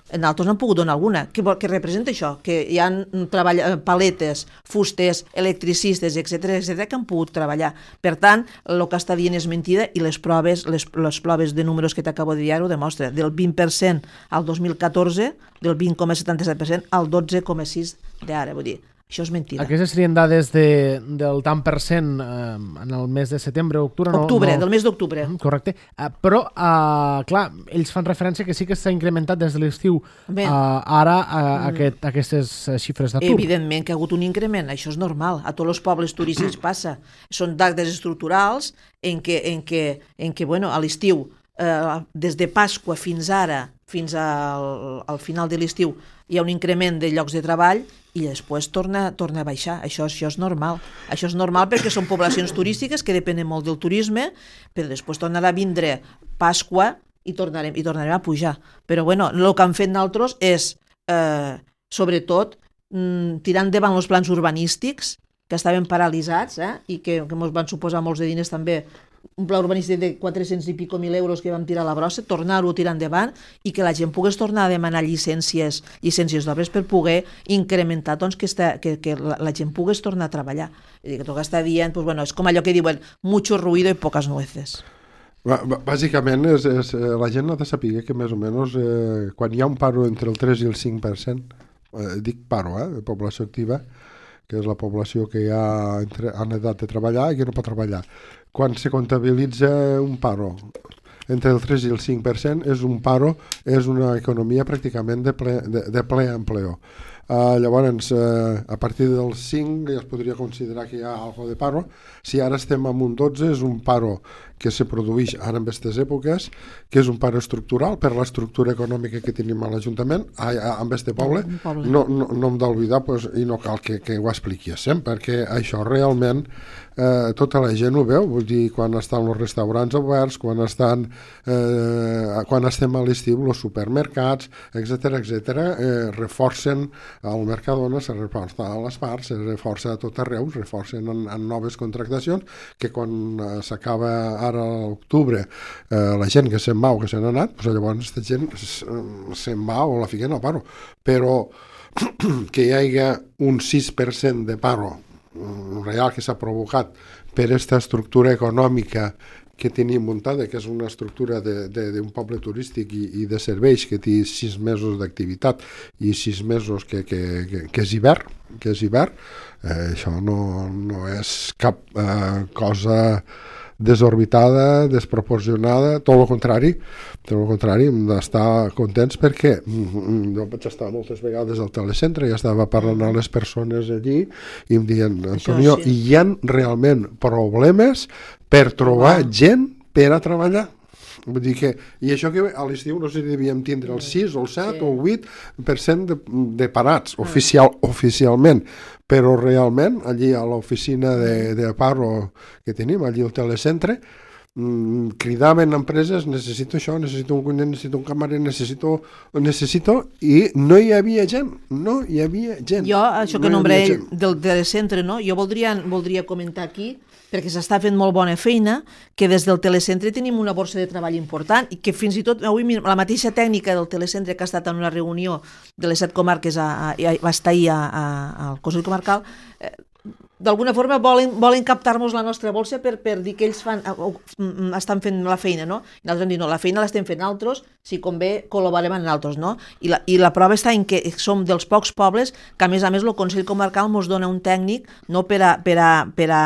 nosaltres n'han pogut donar alguna. Què, què representa això? Que hi ha treball, paletes, fusters, electricistes, etcètera, etcètera, que han pogut treballar. Per tant, el que està dient és mentida i les proves, les, les proves de números que t'acabo de dir ho demostra. Del vint per cent al dos mil catorze, del vint coma setanta-set per cent al dotze coma sis d'ara. Vull dir, això és mentida. Aquestes serien dades de, del tant per cent eh, en el mes de setembre o octubre? No, octubre, no... del mes d'octubre. Correcte. Uh, però, uh, clar, ells fan referència que sí que s'ha incrementat des de l'estiu uh, ara uh, mm. aquest, aquestes xifres d'atur. Evidentment que ha hagut un increment, això és normal. A tots els pobles turístics passa. Són dades estructurals en què, en què, en què bueno, a l'estiu, uh, des de Pasqua fins ara, fins al, al final de l'estiu, hi ha un increment de llocs de treball i després torna, torna a baixar. Això, això és normal. Això és normal perquè són poblacions turístiques que depenen molt del turisme, però després tornarà a vindre Pasqua i tornarem, i tornarem a pujar. Però bueno, el que han fet nosaltres és, eh, sobretot, mm, tirant endavant els plans urbanístics que estaven paralitzats eh, i que, que ens van suposar molts de diners també, un pla urbanístic de quatre-cents i pico mil euros que vam tirar a la brossa, tornar-ho a tirar endavant i que la gent pogués tornar a demanar llicències llicències d'obres per poder incrementar doncs, que, esta, que, que la, la gent pogués tornar a treballar. I que tot està dient, pues, bueno, és com allò que diuen mucho ruido y pocas nueces. Bàsicament, és, és, la gent ha de saber que més o menys eh, quan hi ha un paro entre el tres i el cinc per cent, eh, dic paro, eh, de població activa, que és la població que ja entre, en edat de treballar i que no pot treballar. Quan se comptabilitza un paro entre el tres i el cinc per cent, és un paro, és una economia pràcticament de ple, de, de ple empleo. Uh, llavors, uh, a partir del cinc ja es podria considerar que hi ha algo de paro. Si ara estem amb un dotze, és un paro que se produeix ara en aquestes èpoques, que és un paro estructural per l'estructura econòmica que tenim a l'Ajuntament, a, a, en aquest poble, poble. No, no, no hem d'oblidar, pues, i no cal que, que ho expliquéssim, perquè això realment eh, tota la gent ho veu, vull dir, quan estan els restaurants oberts, quan estan eh, quan estem a l'estiu, els supermercats, etcètera, etcètera, eh, reforcen el Mercadona, se reforça a les parts, se reforça a tot arreu, es reforcen en, en noves contractacions, que quan eh, s'acaba ara a l'octubre eh, la gent que se'n va o que se n'ha anat, doncs llavors aquesta gent se'n va o la fiquen al paro. Però que hi hagi un sis per cent de paro real que s'ha provocat per aquesta estructura econòmica que tenim muntada, que és una estructura d'un poble turístic i, i de serveis que té sis mesos d'activitat i sis mesos que, que, que, que és hivern, que és hivern, eh, això no, no és cap eh, cosa desorbitada, desproporcionada, tot el contrari, tot el contrari, hem d'estar contents perquè jo vaig estar moltes vegades al telecentre i estava parlant a les persones allí i em diuen, Antonio, sí. Hi ha realment problemes per trobar wow. gent per a treballar. Vull dir que, i això que a l'estiu no sé si devíem tindre el sis o el set sí. o el vuit per cent de, de parats, oficial, oficialment, però realment allí a l'oficina de, de paro que tenim, allí al telecentre, mmm, cridaven empreses, necessito això, necessito un cuiner, necessito un camarer, necessito, necessito, i no hi havia gent, no hi havia gent. Jo, això que no nombré del telecentre, no? Jo voldria, voldria comentar aquí perquè s'està fent molt bona feina, que des del telecentre tenim una borsa de treball important i que fins i tot avui la mateixa tècnica del telecentre que ha estat en una reunió de les set comarques, a, a, va estar ahir a, a, al Consell Comarcal, eh, d'alguna forma volen, volen captar-nos la nostra bolsa per, per dir que ells fan, estan fent la feina, no? I nosaltres hem dit, no, la feina l'estem fent altres, si convé col·laborem amb altres, no? I la, I la prova està en que som dels pocs pobles que, a més a més, el Consell Comarcal ens dona un tècnic no per a, per a, per a,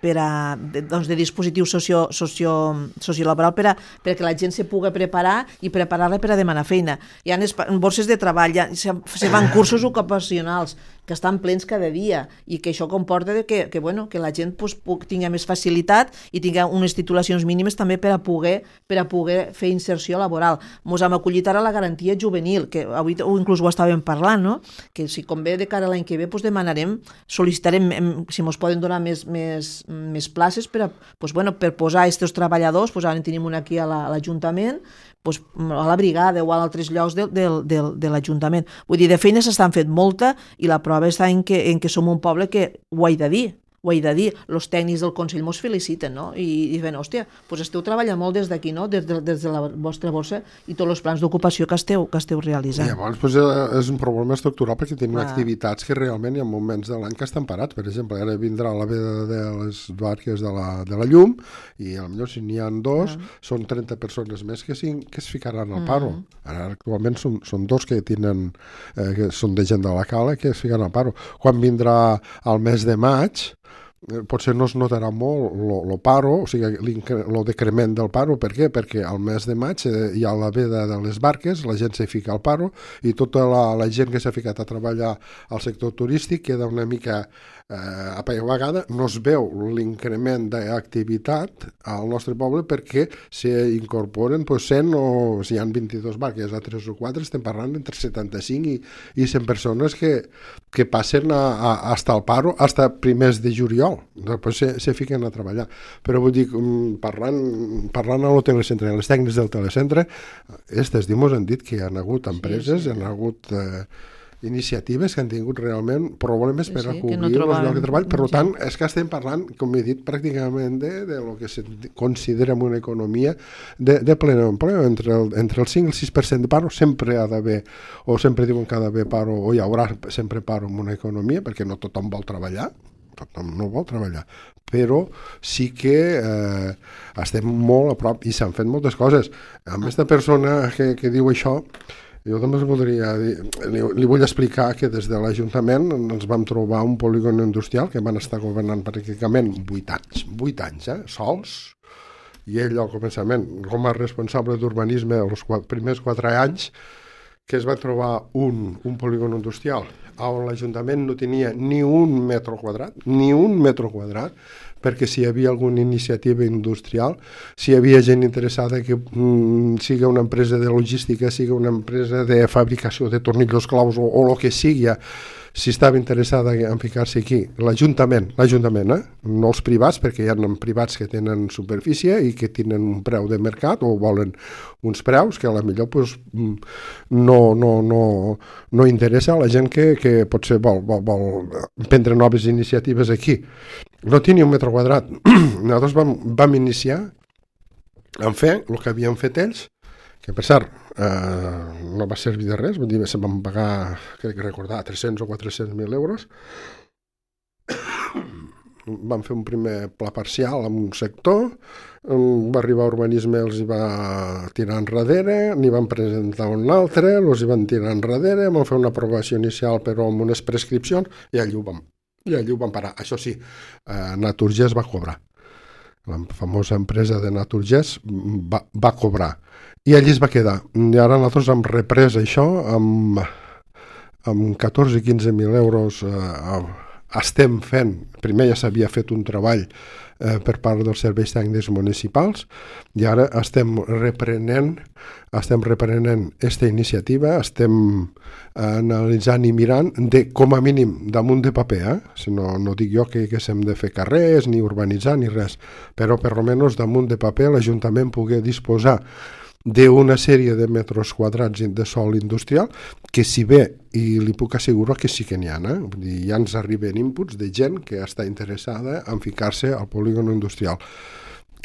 per a de, doncs de dispositiu socio, socio, sociolaboral per a, perquè la gent se pugui preparar i preparar-la per a demanar feina. Hi ha borses de treball, ja, se, se van cursos ocupacionals que estan plens cada dia i que això comporta que, que, bueno, que la gent pues, tingui més facilitat i tingui unes titulacions mínimes també per a poder, per a poder fer inserció laboral. Ens hem acollit ara la garantia juvenil, que avui inclús ho estàvem parlant, no? Que si convé de cara a l'any que ve pues, demanarem, sol·licitarem si ens poden donar més, més, més places per, a, pues, bueno, per posar aquests treballadors, pues, ara en tenim un aquí a l'Ajuntament, pues, a la brigada o a altres llocs de, de, de, de l'Ajuntament. Vull dir, de feina s'estan fent molta i la prova està en que, en que som un poble que ho he de dir, ho he de dir, els tècnics del Consell mos feliciten, no? I, i diuen, hòstia, doncs esteu treballant molt des d'aquí, no? Des de, des de la vostra borsa i tots els plans d'ocupació que esteu, que esteu realitzant. I llavors doncs, és un problema estructural perquè tenim ah. activitats que realment hi ha moments de l'any que estan parats. Per exemple, ara vindrà la veda de les barques de la, de la llum i potser si n'hi ha dos, ah. són trenta persones més que, si, que es ficaran al paro. Mm. Ara actualment són, són dos que tenen, eh, que són de gent de la cala que es ficaran al paro. Quan vindrà el mes de maig, potser no es notarà molt el paro, o sigui, el decrement del paro. Per què? Perquè al mes de maig hi ha la veda de les barques, la gent se fica al paro i tota la, la gent que s'ha ficat a treballar al sector turístic queda una mica eh, apagada. No es veu l'increment d'activitat al nostre poble perquè s'incorporen pues, cent o si hi ha vint-i-dues barques a tres o quatre, estem parlant entre setanta-cinc i, i cent persones que, que passen a, a, hasta el paro, hasta primers de juliol. Després se, se fiquen a treballar. Però vull dir, parlant, parlant a l'hotel-centre, a les tècnics del telecentre, aquestes dies han dit que hi ha hagut empreses, sí, sí. hi ha hagut eh, iniciatives que han tingut realment problemes per sí, a cobrir no els llocs de treball. Per sí. tant, és que estem parlant, com he dit, pràcticament de, de lo que se considera una economia de, de ple empleo. Entre el, entre el cinc i el sis per cent de paro sempre ha d'haver, o sempre diuen que ha d'haver paro, o hi haurà sempre paro en una economia, perquè no tothom vol treballar. Tothom no vol treballar, però sí que eh, estem molt a prop i s'han fet moltes coses. A aquesta persona que, que diu això, jo també voldria dir, li, li vull explicar que des de l'Ajuntament ens vam trobar un polígon industrial que van estar governant pràcticament vuit anys, vuit anys, eh, sols, i ell al començament, com a responsable d'urbanisme els quatre, primers quatre anys, que es va trobar un, un polígon industrial on l'Ajuntament no tenia ni un metro quadrat, ni un metro quadrat, perquè si hi havia alguna iniciativa industrial, si hi havia gent interessada que mm, siga una empresa de logística, siga una empresa de fabricació de tornillos claus o, o el que sigui, si estava interessada en ficar-se aquí, l'Ajuntament, l'Ajuntament, eh? no els privats, perquè hi ha privats que tenen superfície i que tenen un preu de mercat o volen uns preus que a la millor pues, no, no, no, no interessa a la gent que, que potser vol, vol, vol prendre noves iniciatives aquí. No té ni un metre quadrat. Nosaltres vam, vam iniciar en fer el que havien fet ells, que per cert eh, no va servir de res, vull dir, se van pagar, crec que recordar, tres-cents o quatre-cents mil euros. Van fer un primer pla parcial en un sector, va arribar a urbanisme, els hi va tirar enrere, n'hi van presentar un altre, els hi van tirar enrere, van fer una aprovació inicial però amb unes prescripcions i allí ho vam, i allí ho van parar. Això sí, eh, Naturgés va cobrar. La famosa empresa de Naturgés va, va cobrar. I allí es va quedar. I ara nosaltres hem reprès això amb, amb catorze o quinze mil euros. Eh, estem fent, primer ja s'havia fet un treball eh, per part dels serveis tècnics municipals i ara estem reprenent estem reprenent aquesta iniciativa, estem analitzant i mirant de, com a mínim, damunt de paper, eh? Si no, no dic jo que, que s'hem de fer carrers, ni urbanitzar, ni res, però per almenys damunt de paper l'Ajuntament pugui disposar d'una sèrie de metres quadrats de sòl industrial que si bé, i li puc assegurar que sí que n'hi ha, eh? Vull dir, ja ens arriben inputs de gent que està interessada en ficar-se al polígon industrial,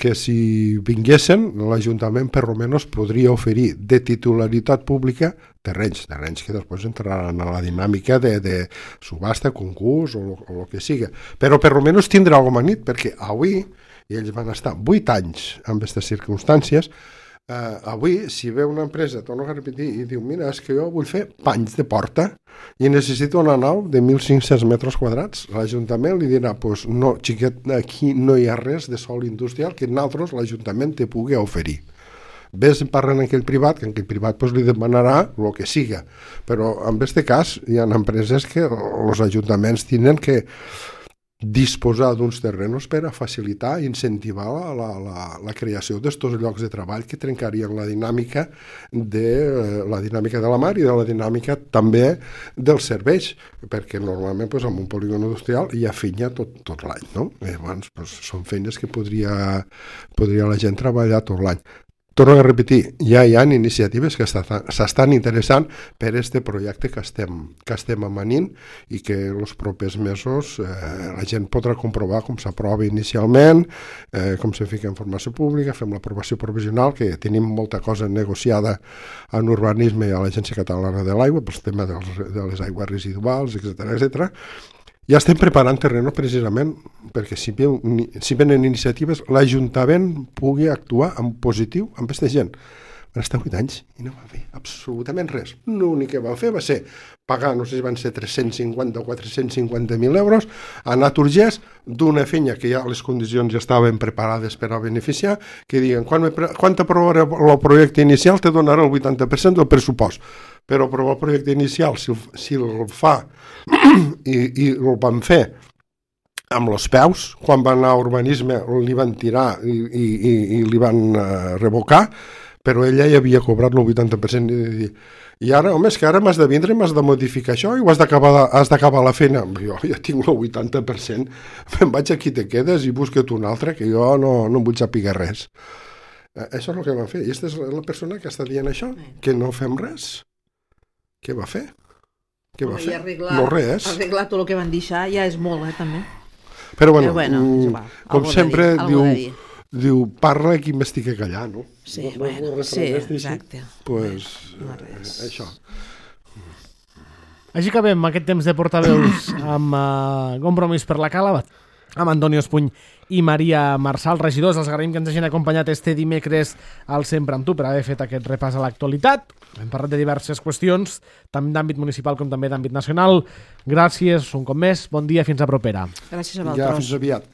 que si vinguessin l'Ajuntament per almenys podria oferir de titularitat pública terrenys, terrenys que després entraran a la dinàmica de, de subhasta, concurs o el que siga, però per almenys tindrà alguna nit, perquè avui, i ells van estar vuit anys en aquestes circumstàncies. Uh, avui, si ve una empresa, torno a repetir, i diu, mira, és que jo vull fer panys de porta i necessito una nau de mil cinc-cents metres quadrats, l'Ajuntament li dirà, pues, no, xiquet, aquí no hi ha res de sòl industrial que nosaltres l'Ajuntament te pugui oferir. Ves parlant en aquell privat, que en aquell privat pues, li demanarà el que siga, però en aquest cas hi ha empreses que els ajuntaments tenen que disposar d'uns terrenos per a facilitar i incentivar la, la, la, la creació d'estos llocs de treball que trencarien la dinàmica de la dinàmica de la mar i de la dinàmica també dels serveis, perquè normalment pues, en un polígon industrial hi ha feina tot, tot l'any, no? I llavors pues, són feines que podria, podria la gent treballar tot l'any. Torno a repetir, ja hi ha iniciatives que s'estan interessant per aquest projecte que estem, que estem amanint i que els propers mesos eh, la gent podrà comprovar com s'aprova inicialment, eh, com se fica en formació pública, fem l'aprovació provisional, que tenim molta cosa negociada en urbanisme i a l'Agència Catalana de l'Aigua, pel tema dels, de les aigües residuals, etcètera, etcètera. Ja estem preparant terreno precisament perquè si, ve, si venen iniciatives l'Ajuntament pugui actuar en positiu amb aquesta gent. Van estar vuit anys i no va fer absolutament res. L'únic que van fer va ser pagar, no sé si van ser tres-cents cinquanta o quatre-cents cinquanta mil euros a Naturgés d'una feina que ja les condicions ja estaven preparades per a beneficiar, que diguen, quan, quan t'aprovaré el projecte inicial te donarà el vuitanta per cent del pressupost. Però aprovar el projecte inicial, si, si el fa i, i el van fer amb els peus, quan van anar a urbanisme li van tirar i, i, i, i li van uh, revocar, però ella ja havia cobrat el vuitanta per cent i dir, i ara, home, és que ara m'has de vindre, m'has de modificar això i ho has d'acabar la feina. Jo ja tinc el vuitanta per cent, me'n vaig aquí te quedes i busca't un altre, que jo no, no em vull saber res. Eh, això és el que van fer. I aquesta és la persona que està dient això, que no fem res. Què va fer? Què va fer? Arreglar, no res. Arreglar tot el que van deixar ja és molt, eh, també. Però bueno, Però bueno mm, com sempre dir, diu, diu, parla qui m'estigui callar, no? Sí, no, bueno, no sí, exacte. Pues, no eh, això. Així acabem aquest temps de portaveus amb uh, Compromís per la Cala, amb Antoni Espuny i Maria Marçal, regidors. Els agraïm que ens hagin acompanyat este dimecres al Sempre amb tu per haver fet aquest repàs a l'actualitat. Hem parlat de diverses qüestions, tant d'àmbit municipal com també d'àmbit nacional. Gràcies un cop més, bon dia, fins a propera. Gràcies a vosaltres. Ja, fins aviat.